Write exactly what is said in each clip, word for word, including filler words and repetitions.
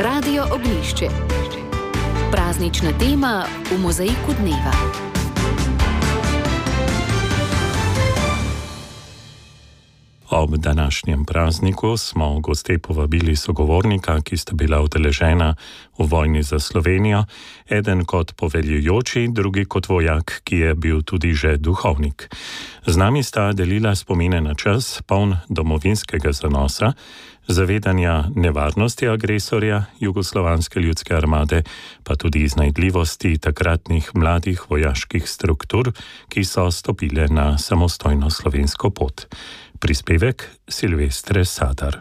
Radio Ognjišče. Praznična tema v mozaiku dneva. Ob današnjem prazniku smo goste povabili sogovornika, ki sta bila udeležena v vojni za Slovenijo, eden kot poveljujoči, drugi kot vojak, ki je bil tudi že duhovnik. Z nami sta delila spomine na čas, poln domovinskega zanosa, zavedanja nevarnosti agresorja Jugoslovanske ljudske armade, pa tudi iznajdljivosti takratnih mladih vojaških struktur, ki so stopile na samostojno slovensko pot. Prispevek Silvestre Sadar.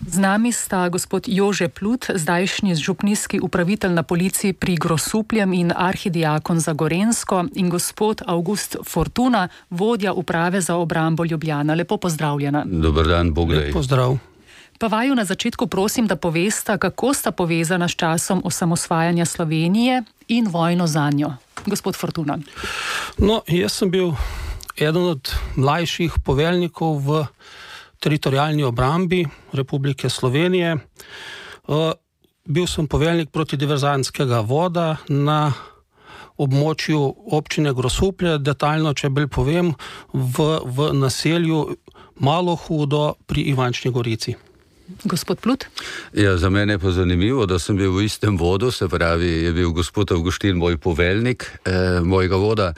Z nami sta gospod Jože Plut, zdajšnji župnijski upravitelj na policiji pri Grosupljem in arhidiakon za Gorenjsko, in gospod Avgust Fortuna, vodja uprave za obrambo Ljubljana. Lepo pozdravljena. Dober dan, Bog daj. Pozdrav. Pa vaju na začetku prosim, da povesta, kako sta povezana s časom osamosvajanja Slovenije in vojno zanjo. Gospod Fortuna. No, jaz sem bil eden od mlajših poveljnikov v teritorijalni obrambi Republike Slovenije. Bil sem poveljnik protidiverzantskega voda na območju občine Grosuplje, detaljno, če bolj povem, v, v naselju Malo Hudo pri Ivančni Gorici. Gospod Plut? Ja, za mene je pa zanimivo, da sem bil v istem vodu, se pravi, je bil gospod Avguštin moj poveljnik eh, mojega voda.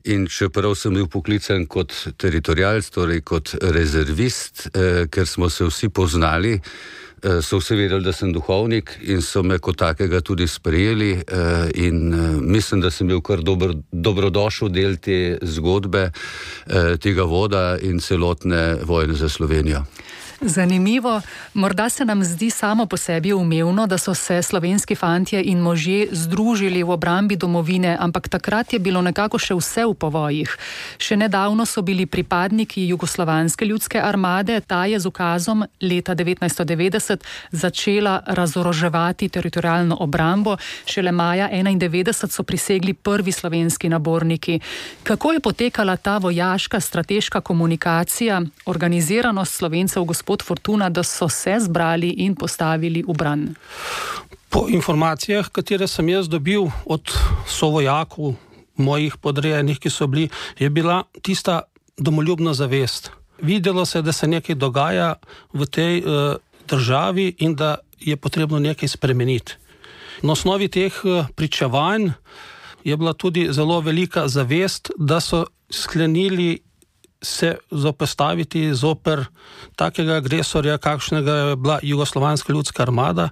In čeprav sem bil poklican kot teritorijalc, torej kot rezervist, eh, ker smo se vsi poznali, eh, so vsi vedeli, da sem duhovnik in so me kot takega tudi sprejeli eh, in eh, mislim, da sem bil kar dober, dobrodošel del te zgodbe, eh, tega voda in celotne vojne za Slovenijo. Zanimivo. Morda se nam zdi samo po sebi umevno, da so se slovenski fantje in možje združili v obrambi domovine, ampak takrat je bilo nekako še vse v povojih. Še nedavno so bili pripadniki Jugoslovanske ljudske armade, ta je z ukazom leta devetnajststo devetdeset začela razoroževati teritorijalno obrambo, šele maja enaindevetdeset so prisegli prvi slovenski naborniki. Kako je potekala ta vojaška strateška komunikacija, organiziranost Slovencev, gospod Fortuna, da so se zbrali in postavili v bran? Po informacijah, katere sem jaz dobil od sovojakov, mojih podrejenih, ki so bili, je bila tista domoljubna zavest. Videlo se, da se nekaj dogaja v tej uh, državi in da je potrebno nekaj spremeniti. Na osnovi teh uh, pričevanj je bila tudi zelo velika zavest, da so sklenili se zoperstaviti zoper takega agresorja, kakšnega je bila Jugoslovanska ljudska armada,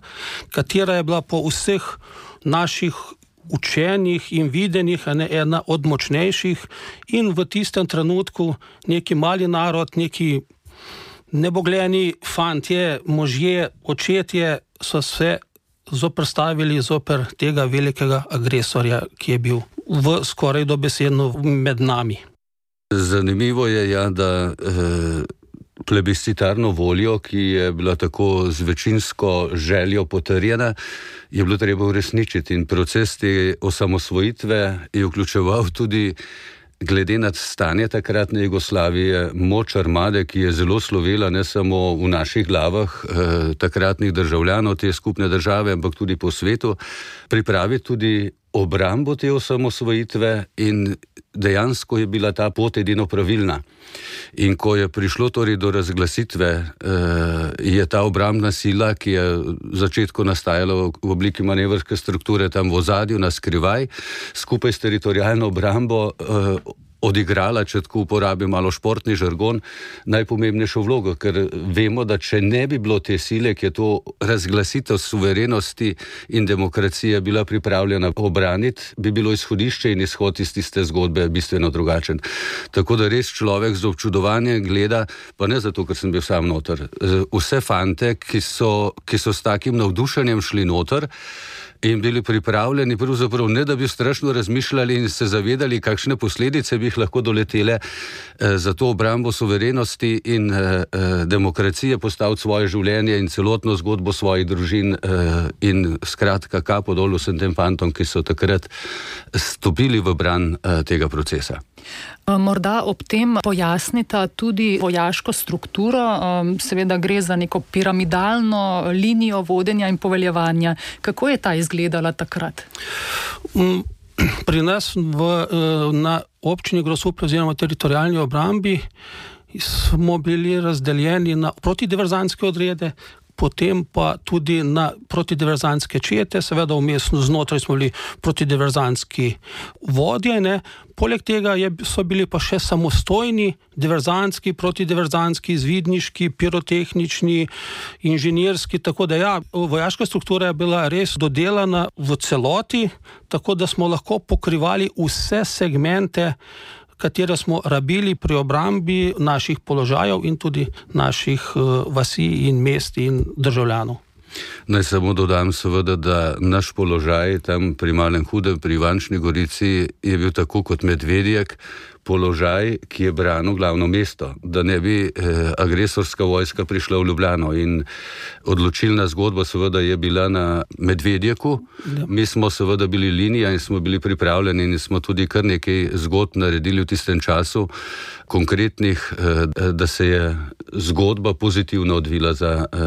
katera je bila po vseh naših učenjih in videnjih ena od močnejših in v tistem trenutku neki mali narod, neki nebogljeni fantje, možje, očetje so se zoperstavili zoper tega velikega agresorja, ki je bil v skoraj dobesedno med nami. Zanimivo je, ja, da eh, plebiscitarno voljo, ki je bila tako z večinsko željo potrjena, je bilo treba uresničiti in proces te osamosvojitve je vključeval tudi, glede na stanje takratne Jugoslavije, moč armade, ki je zelo slovela ne samo v naših glavah eh, takratnih državljanov te skupne države, ampak tudi po svetu, pripraviti tudi obrambo te osamosvojitve in dejansko je bila ta pot edino pravilna. In ko je prišlo torej do razglasitve, eh, je ta obrambna sila, ki je v začetku nastajala v obliki manevrske strukture tam v ozadju, na skrivaj, skupaj s teritorijalno obrambo eh, odigrala, če tako uporabim malo športni žargon, najpomembnejšo vlogo, ker vemo, da če ne bi bilo te sile, ki je to razglasitev suverenosti in demokracije bila pripravljena obraniti, bi bilo izhodišče in izhod iz tiste zgodbe bistveno drugačen. Tako da res človek z občudovanjem gleda, pa ne zato, ker sem bil sam noter, vse fante, ki so, ki so s takim navdušenjem šli noter in bili pripravljeni, pravzaprav ne, da bi strašno razmišljali in se zavedali, kakšne posledice bi bi jih lahko doletele, za to obrambo suverenosti in demokracije postaviti svoje življenje in celotno zgodbo svojih družin in skratka kapo dol vsem tem fantom, ki so takrat stopili v bran tega procesa. Morda ob tem pojasnita tudi vojaško strukturo, seveda gre za neko piramidalno linijo vodenja in poveljevanja. Kako je ta izgledala takrat? Pri nas v, na občini Grosuplje oziroma teritorijalni obrambi smo bili razdeljeni na protidiverzantske odrede, potem pa tudi na protidiverzantske čete, seveda vmesno znotraj smo bili protidiverzantski vodje, ne. Poleg tega je, so bili pa še samostojni diverzantski, protidiverzantski, izvidniški, pirotehnični, inženirski, tako da ja, vojaška struktura je bila res dodelana v celoti, tako da smo lahko pokrivali vse segmente, katere smo rabili pri obrambi naših položajev in tudi naših uh, vasi in mest in državljanov. Naj samo dodam seveda, da naš položaj tam pri Malem Hudem, pri Ivančni Gorici je bil tako kot Medvedjek, položaj, ki je branil glavno mesto, da ne bi eh, agresorska vojska prišla v Ljubljano in odločilna zgodba seveda je bila na Medvedjeku. Ja. Mi smo seveda bili linija in smo bili pripravljeni in smo tudi kar nekaj zgodb naredili v tistem času, konkretnih, eh, da se je zgodba pozitivno odvila za eh,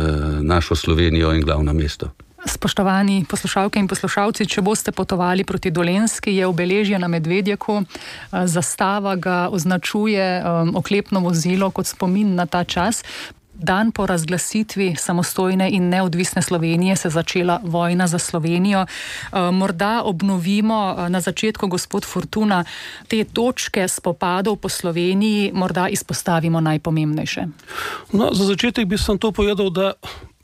našo Slovenijo in glavno mesto. Spoštovani poslušalke in poslušalci, če boste potovali proti Dolenjski, je obeležje na Medvedjeku, zastava ga označuje um, oklepno vozilo kot spomin na ta čas. Dan po razglasitvi samostojne in neodvisne Slovenije se je začela vojna za Slovenijo. Morda obnovimo na začetku, gospod Fortuna, te točke spopadov po Sloveniji, morda izpostavimo najpomembnejše. No, za začetek bi sem to povedal, da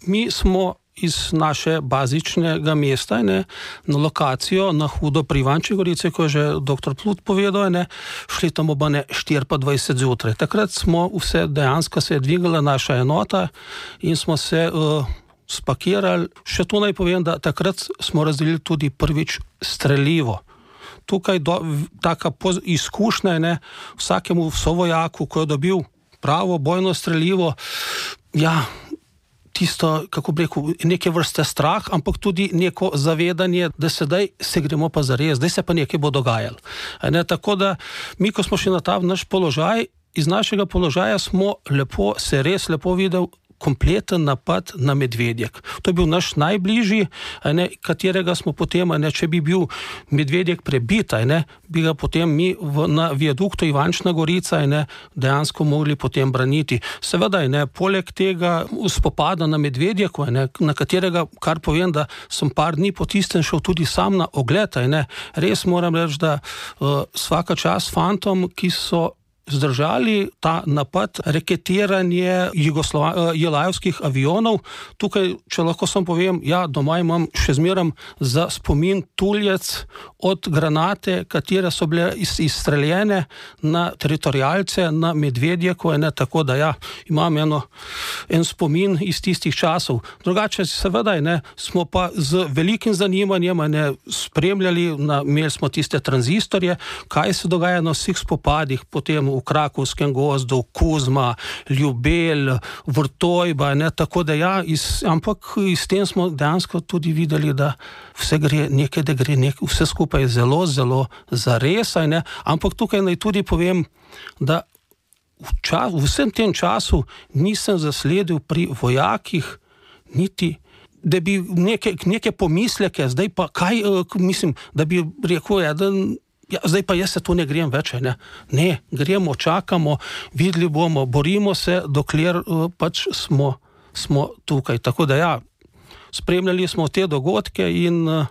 mi smo iz naše bazičnega mesta, ne, na lokacijo na Hudo pri Ivančni Gorici, ko je že doktor Plut povedal, ne, šli tam obane štiri pa dvajset zjutraj. Takrat smo vse, dejansko se je dvigala naša enota in smo se uh, spakirali. Še to naj povem, da takrat smo razdelili tudi prvič strelivo. Tukaj do, taka poz, izkušnja je, ne, vsakemu sovojaku, ko je dobil pravo bojno strelivo, ja, tisto, kako bi rekel, neke vrste strah, ampak tudi neko zavedanje, da sedaj se gremo pa zares, zdaj se pa nekaj bo dogajalo. Ne, tako da mi, ko smo šli na ta naš položaj, iz našega položaja smo lepo, se res lepo videl kompleten napad na Medvedjek. To je bil naš najbližji, ne, katerega smo potem, ne, če bi bil Medvedjek prebit, ne, bi ga potem mi v, na viaduktu Ivančna Gorica, ne, dejansko mogli potem braniti. Seveda, ne, poleg tega spopada na Medvedjeku, ne, na katerega, kar povem, da sem par dni po tistem šel tudi sam na ogled, ne, res moram reči, da uh, svaka čast fantom, ki so zdržali ta napad, reketiranje jelajevskih avionov. Tukaj, če lahko sam povem, ja, doma imam še zmeram za spomin tuljec od granate, katere so bile izstreljene na teritorijalce, na Medvedjeku, ne, tako da ja, imam eno, en spomin iz tistih časov. Drugače, seveda, ne, smo pa z velikim zanimanjem, ne, spremljali, na, imeli smo tiste tranzistorje, kaj se dogaja na vseh spopadih, potem v Krakovskem gozdu, Kuzma, Ljubelj, Vrtojba, ne, tako da ja, iz, ampak iz tem smo dejansko tudi videli, da vse gre nekaj, da gre nekaj, vse skupaj zelo, zelo zares, ne, ampak tukaj naj tudi povem, da v, čas, v vsem tem času nisem zasledil pri vojakih niti, da bi neke, neke pomisleke, zdaj pa kaj, mislim, da bi rekel, ja, da ja, zdaj pa jaz se tu ne grem več, ne. Ne, gremo, čakamo, videli bomo, borimo se, dokler uh, pač smo, smo tukaj. Tako da ja, spremljali smo te dogodke in uh,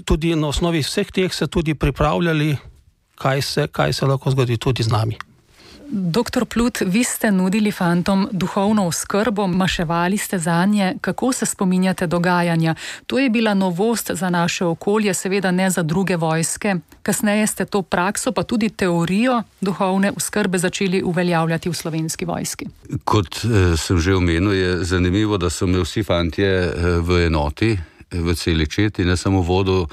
tudi na osnovi vseh teh se tudi pripravljali, kaj se, kaj se lahko zgodi tudi z nami. Doktor Plut, vi ste nudili fantom duhovno oskrbo, maševali ste zanje. Kako se spominjate dogajanja? To je bila novost za naše okolje, seveda ne za druge vojske. Kasneje ste to prakso, pa tudi teorijo duhovne oskrbe začeli uveljavljati v Slovenski vojski. Kot eh, sem že omenil, je zanimivo, da so me vsi fantje eh, v enoti, v celi četi, ne samo vodo,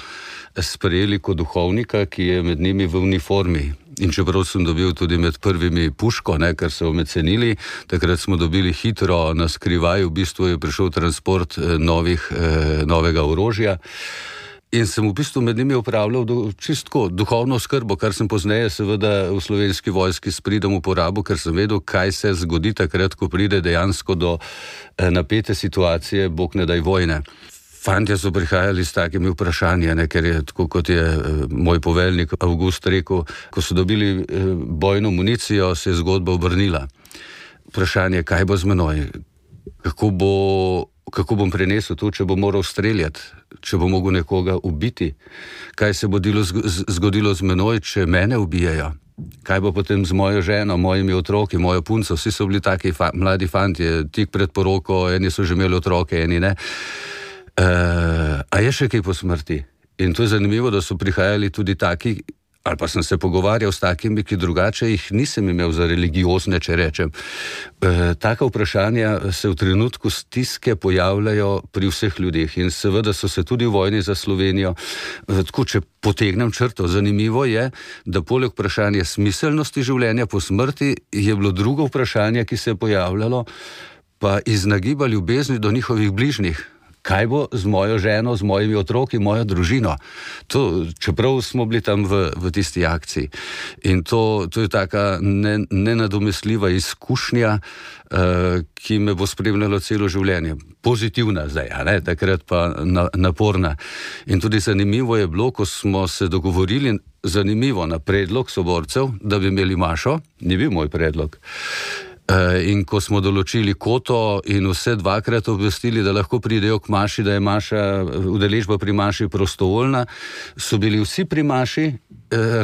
sprejeli kot duhovnika, ki je med njimi v uniformi. in čeprav sem dobil tudi med prvimi puško, ne, ker so me cenili, takrat smo dobili hitro na skrivaj, v bistvu je prišel transport novih, novega orožja. In sem v bistvu med njimi upravljal do, čistko duhovno skrbo, kar sem pozneje seveda v Slovenski vojski s pridom uporabil, ker sem vedel, kaj se zgodi takrat, ko pride dejansko do napete situacije, bog ne daj vojne. Fantje so prihajali s takimi vprašanji, ne, ker je tako, kot je moj poveljnik Avgust rekel, ko so dobili bojno municijo, se je zgodba obrnila. Vprašanje, kaj bo z menoj, kako bo, kako bom prenesel to, če bom moral streljati, če bom mogel nekoga ubiti, kaj se bo zgodilo z menoj, če mene ubijajo, kaj bo potem z mojo ženo, mojimi otroki, mojo punco, vsi so bili taki fa- mladi fantje, tik pred poroko, eni so že imeli otroke, eni ne. Uh, a je še kaj po smrti? In to je zanimivo, da so prihajali tudi taki, ali pa sem se pogovarjal s takimi, ki drugače jih nisem imel za religiozne, če rečem. E, taka vprašanja se v trenutku stiske pojavljajo pri vseh ljudeh in seveda so se tudi v vojni za Slovenijo. E, tako, če potegnem črto, zanimivo je, da poleg vprašanja smiselnosti življenja po smrti je bilo drugo vprašanje, ki se je pojavljalo, pa iz nagiba ljubezni do njihovih bližnjih. Kaj bo z mojo ženo, z mojimi otroki, mojo družino? To, čeprav smo bili tam v, v tisti akciji. In to, to je taka ne, nenadomestljiva izkušnja, uh, ki me bo spremljalo celo življenje. Pozitivna zdaj, a ne? Takrat pa na, naporna. In tudi zanimivo je bilo, ko smo se dogovorili, zanimivo, na predlog soborcev, da bi imeli mašo, ni bil moj predlog. In ko smo določili koto in vse dvakrat obvestili, da lahko pridejo k maši, da je maša, udeležba pri maši prostovoljna, so bili vsi pri maši,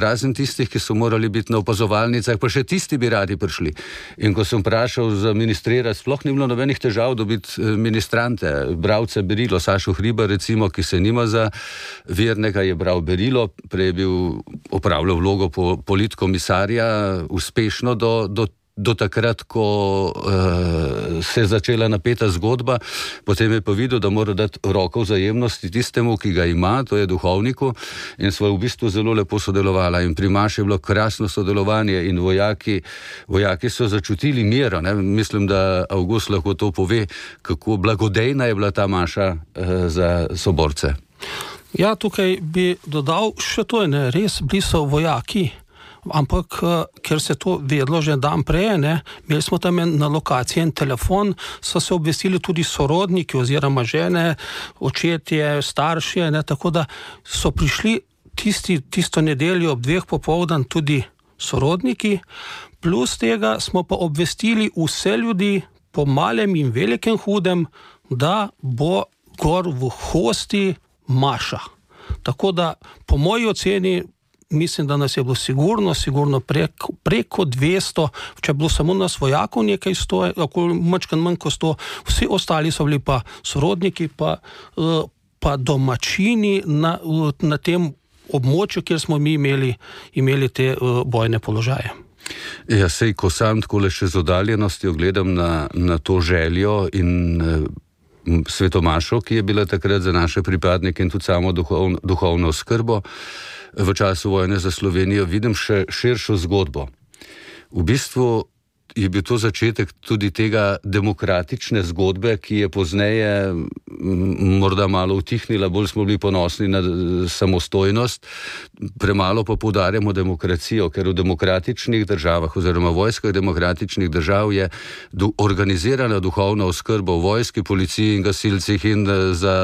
razen tistih, ki so morali biti na opazovalnicah, pa še tisti bi radi prišli. In ko sem vprašal za ministrirati, sploh ni bilo nobenih težav dobiti ministrante, bralce berilo, Sašo Hriba recimo, ki se nima za vernega, je bral berilo, prej je bil opravljal vlogo politkomisarja, uspešno do, do do takrat, ko uh, se je začela napeta zgodba, potem je pa videl, da mora dati roko vzajemnosti tistemu, ki ga ima, to je duhovniku, in sva v bistvu zelo lepo sodelovala. In pri maši je bilo krasno sodelovanje in vojaki, vojaki so začutili miro. Ne? Mislim, da Avgust lahko to pove, kako blagodejna je bila ta maša uh, za soborce. Ja, tukaj bi dodal še to, ne, res bili so vojaki, ampak ker se to vedlo že dan prej, ne, imeli smo tam na lokaciji en telefon, so se obvestili tudi sorodniki oziroma žene, očetje, starši, ne, tako da so prišli tisti, tisto nedeljo ob dveh popoldan tudi sorodniki, plus tega smo pa obvestili vse ljudi po malem in velikem hudem, da bo gor v Hosti maša. Tako da po moji oceni mislim, da nas je bilo sigurno, sigurno preko, preko dvesto, če je bilo samo nas vojakov nekaj sto, mačkan manj kot sto, vsi ostali so bili pa sorodniki, pa, pa domačini na, na tem območju, kjer smo mi imeli, imeli te bojne položaje. Ja, sej, ko sam takole še z oddaljenostjo gledam na, na to željo in svetomašo, ki je bila takrat za naše pripadnike in tudi samo duhovno, duhovno skrbo, v času vojne za Slovenijo, vidim še širšo zgodbo. V bistvu je bil to začetek tudi tega demokratične zgodbe, ki je pozneje morda malo utihnila, bolj smo bili ponosni na samostojnost, premalo pa poudarjamo demokracijo, ker v demokratičnih državah oziroma vojskah demokratičnih držav je organizirana duhovna oskrba v vojski, policiji in gasilcih in za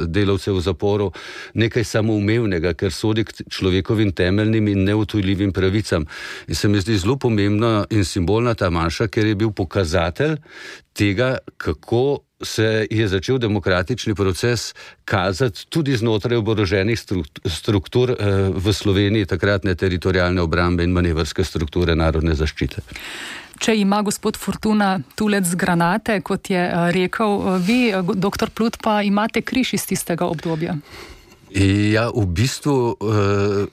delavce v zaporu nekaj samoumevnega, ker sodi k človekovim temeljnim in neutujljivim pravicam. In se mi zdi zelo pomembna in simbolna ta maša, ker je bil pokazatelj tega, kako se je začel demokratični proces kazati tudi znotraj oboroženih struktur v Sloveniji, takratne teritorialne obrambe in manevrske strukture narodne zaščite. Če ima gospod Fortuna tulec z granate, kot je rekel, vi, doktor Plut, pa imate križ iz tistega obdobja. Ja, v bistvu uh,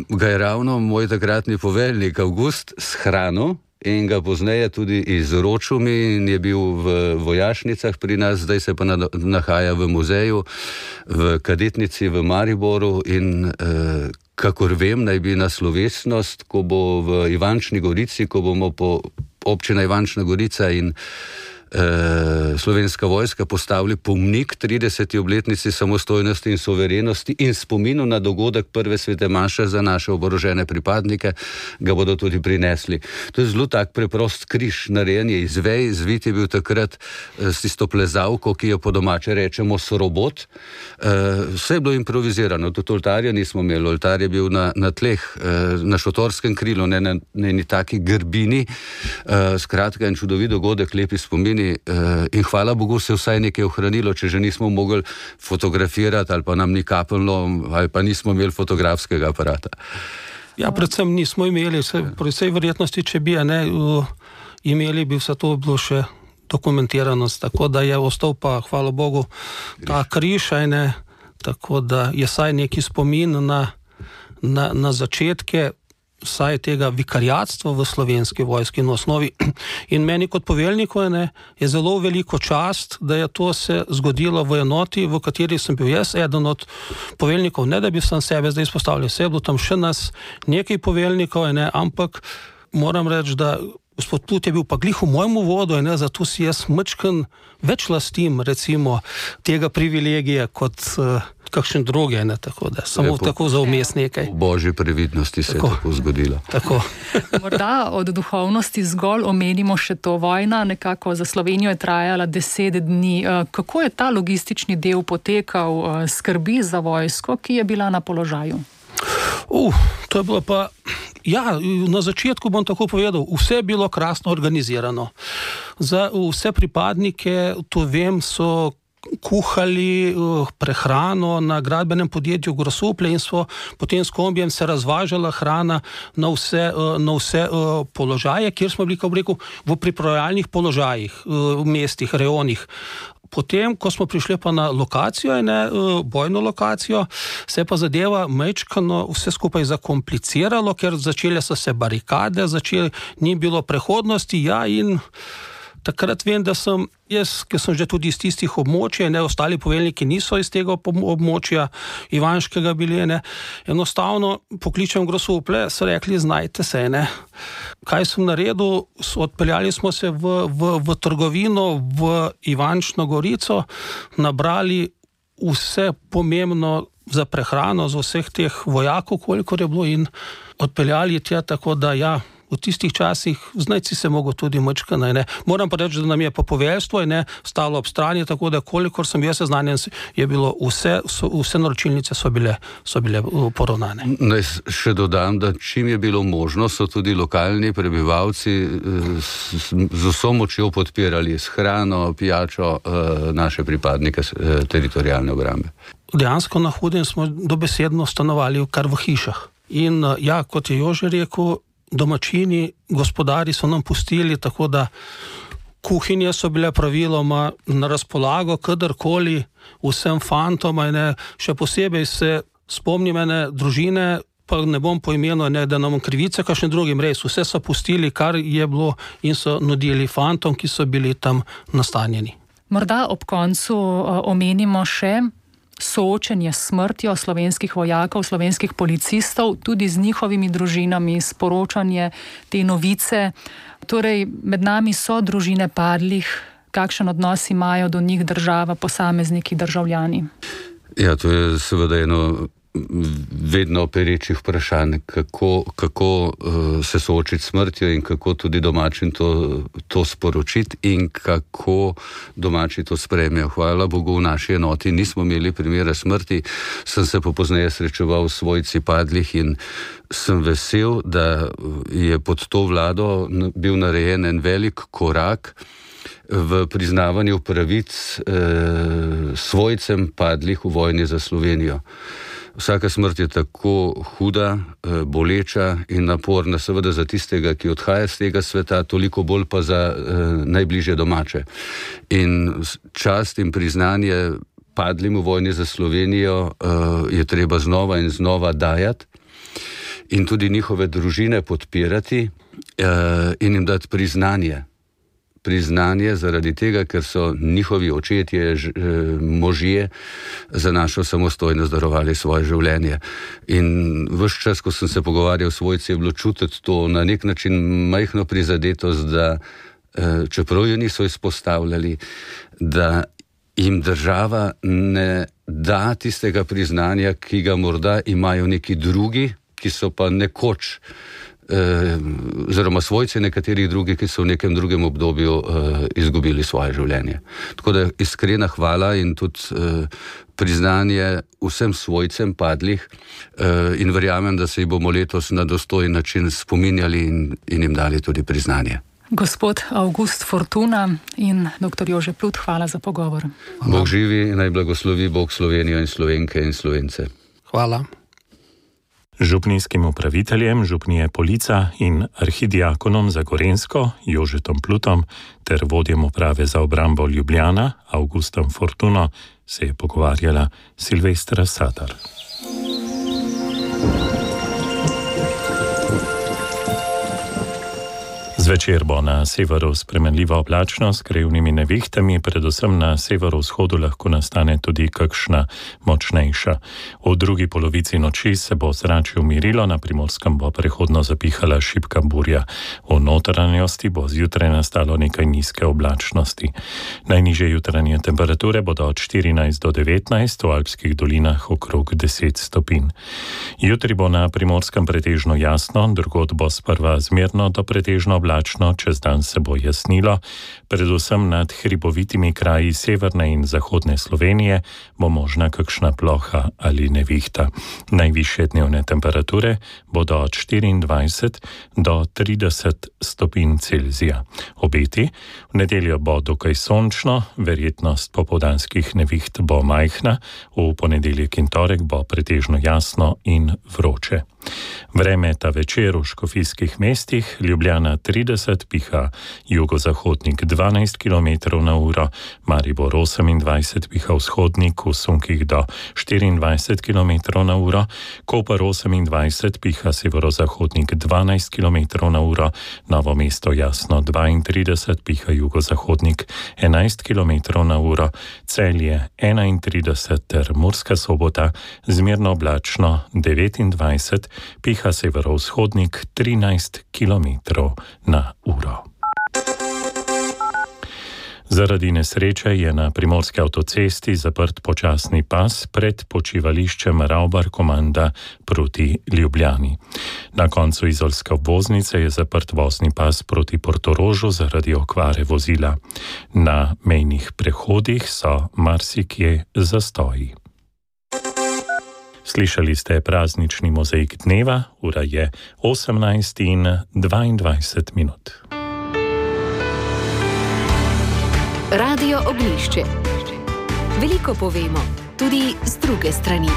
ga je ravno moj takratni poveljnik Avgust shranil in ga pozneje tudi izročil mi in je bil v vojašnicah pri nas, zdaj se pa nahaja v muzeju, v kadetnici v Mariboru in eh, kakor vem, naj bi na slovesnost, ko bo v Ivančni Gorici, ko bomo po občina Ivančna Gorica in Uh, Slovenska vojska postavili pomnik trideseti obletnici samostojnosti in suverenosti in spominu na dogodek prve svete maše za naše oborožene pripadnike, ga bodo tudi prinesli. To je zelo tak preprost križ, narejen je iz vej, zvit je bil takrat uh, s tisto plezavko, ki jo po domače rečemo sorobot. Uh, vse je bilo improvizirano, tudi oltarja nismo imeli, oltar je bil na, na tleh, uh, na šotorskem krilu, ne na eni taki grbini, uh, skratka en čudovit dogodek, lepi spomini. In hvala Bogu se vsaj nekaj ohranilo, če že nismo mogli fotografirati ali pa nam ni kapljalo ali pa nismo imeli fotografskega aparata. Ja, predvsem nismo imeli, pri vsej verjetnosti, če bi ne, imeli, bi vse to bilo še dokumentiranost, tako da je ostal pa, hvala Bogu, ta križ, ne, tako da je saj neki spomin na, na, na začetke vsaj tega vikariatstva v Slovenski vojski na osnovi. In meni kot poveljniku je, je zelo veliko čast, da je to se zgodilo v enoti, v kateri sem bil jaz, eden od poveljnikov, ne da bi sam sebe zdaj izpostavljal, vse je bilo tam še nas nekaj poveljnikov, ne, ampak moram reči, da gospod Plut je bil pa glih v mojem uvodu, ne, zato si jaz mečken več lastim, recimo, tega privilegija kot uh, kakšen druge, ne, tako da, samo Lepo. Tako za vmes nekaj. V božji previdnosti se tako. je tako zgodilo. Tako. Morda od duhovnosti zgolj omenimo še to, vojna nekako za Slovenijo je trajala deset dni. Kako je ta logistični del potekal, skrbi za vojsko, ki je bila na položaju? Uh, to je bilo pa, ja, na začetku bom tako povedal, vse je bilo krasno organizirano. Za vse pripadnike, to vem, so kuhali prehrano na gradbenem podjetju Grosuplje in so potem s kombijem se razvažala hrana na vse, na vse položaje, kjer smo bili, kako rekel, v pripravljalnih položajih, v mestih, rejonih. Potem, ko smo prišli pa na lokacijo, ne, bojno lokacijo, se pa zadeva mečkano vse skupaj zakompliciralo, ker začele so se barikade, začeli, ni bilo prehodnosti, ja, in takrat vem, da sem jaz, ker sem že tudi iz tistih območij, ne, ostali poveljniki niso iz tega območja Ivanškega bili, ne, enostavno pokličem Grosuplje, so rekli, znajte se, ne. Kaj sem naredil? Odpeljali smo se v, v, v trgovino v Ivančno Gorico, nabrali vse pomembno za prehrano, za vseh teh vojakov, kolikor je bilo, in odpeljali tja, tako da ja, v tistih časih znajci se mogo tudi mečkano, ne. Moram pa reči, da nam je pa poveljstvo, ne, stalo ob strani, tako da kolikor sem jaz seznanjen, je bilo vse, so, vse naročilnice so bile, so bile poravnane. Naj še dodam, da čim je bilo možno, so tudi lokalni prebivalci z, z vso močjo podpirali s hrano, pijačo naše pripadnike teritorialne obrambe. Dejansko na Hudim smo dobesedno stanovali kar v hišah. In ja, kot je Jože rekel, domačini, gospodari so nam pustili, tako da kuhinje so bile praviloma na razpolago, kadarkoli vsem fantom, ne, še posebej se spomnim ene družine, pa ne bom po imenu, ne, da nam krivice kakšne drugim, res, vse so pustili, kar je bilo, in so nudili fantom, ki so bili tam nastanjeni. Morda ob koncu uh, omenimo še soočenje s smrtjo slovenskih vojakov, slovenskih policistov, tudi z njihovimi družinami, sporočanje te novice. Torej, med nami so družine padlih, kakšen odnos imajo do njih država, posamezniki, državljani? Ja, to je seveda eno vedno perečih vprašanj, kako, kako uh, se soočiti s smrtjo in kako tudi domačim to, to sporočiti in kako domači to sprejmejo. Hvala Bogu, v naši enoti nismo imeli primera smrti, sem se pa pozneje srečeval s svojci padlih in sem vesel, da je pod to vlado bil narejen en velik korak v priznavanju pravic eh, svojcem padlih v vojni za Slovenijo. Vsaka smrt je tako huda, boleča in naporna, seveda za tistega, ki odhaja z tega sveta, toliko bolj pa za eh, najbližje domače. In čast in priznanje padlim v vojni za Slovenijo eh, je treba znova in znova dajati. in tudi njihove družine podpirati in jim dati priznanje. Priznanje zaradi tega, ker so njihovi očetje, možje za našo samostojnost darovali svoje življenje. In ves čas, ko sem se pogovarjal s svojci, je bilo čutiti to na nek način majhno prizadetost, da čeprav jo niso izpostavljali, da jim država ne da tistega priznanja, ki ga morda imajo neki drugi, ki so pa nekoč, oziroma svojci nekaterih drugih, ki so v nekem drugem obdobju izgubili svoje življenje. Tako da iskrena hvala in tudi priznanje vsem svojcem padlih in verjamem, da se jih bomo letos na dostojen način spominjali in, in jim dali tudi priznanje. Gospod Avgust Fortuna in doktor Jože Plut, hvala za pogovor. Bog živi in naj blagoslovi Bog Slovenijo in Slovenke in Slovence. Hvala. Župnijskim upraviteljem župnije Polica in arhidiakonom za Gorenjsko Jožetom Plutom ter vodjem uprave za obrambo Ljubljana Avgustom Fortuno se je pogovarjala Silvestra Satar. Zvečer bo na severu spremenljiva oblačnost s krajevnimi nevihtami, predvsem na severovzhodu lahko nastane tudi kakšna močnejša. V drugi polovici noči se bo zračje umirilo, na Primorskem bo prehodno zapihala šibka burja. V notranjosti bo zjutraj nastalo nekaj nizke oblačnosti. Najnižje jutranje temperature bodo od štirinajst do devetnajst, v alpskih dolinah okrog deset stopinj. Jutri bo na Primorskem pretežno jasno, drugod bo sprva zmerno do pretežno oblačno, čez dan se bo jasnilo, predvsem nad hribovitimi kraji severne in zahodne Slovenije bo možna kakšna ploha ali nevihta. Najvišje dnevne temperature bodo od štiriindvajset do trideset stopinj Celzija. Obeti: v nedeljo bo dokaj sončno, verjetnost popoldanskih neviht bo majhna, v ponedeljek in torek bo pretežno jasno in vroče. Vreme ta večer v škofijskih mestih: Ljubljana trideset, piha jugozahodnik dvanajst kilometrov na uro, Maribor osemindvajset, piha vzhodnik v sunkih do štiriindvajset kilometrov na uro, Koper osemindvajset, piha severozahodnik dvanajst kilometrov na uro, Novo mesto jasno dvaintrideset, piha jugozahodnik enajst kilometrov na uro, Celje enaintrideset ter Murska Sobota zmerno oblačno devetindvajset, piha severovzhodnik trinajst kilometrov na uro. Zaradi nesreče je na primorski avtocesti zaprt počasni pas pred počivališčem Ravbar-Komanda proti Ljubljani. Na koncu izolske obvoznice je zaprt vozni pas proti Portorožu zaradi okvare vozila. Na mejnih prehodih so marsikje zastoji. Slišali ste praznični mozaik dneva, ura je osemnajst in dvaindvajset minut. Radio Ognjišče. Veliko povemo, tudi z druge strani.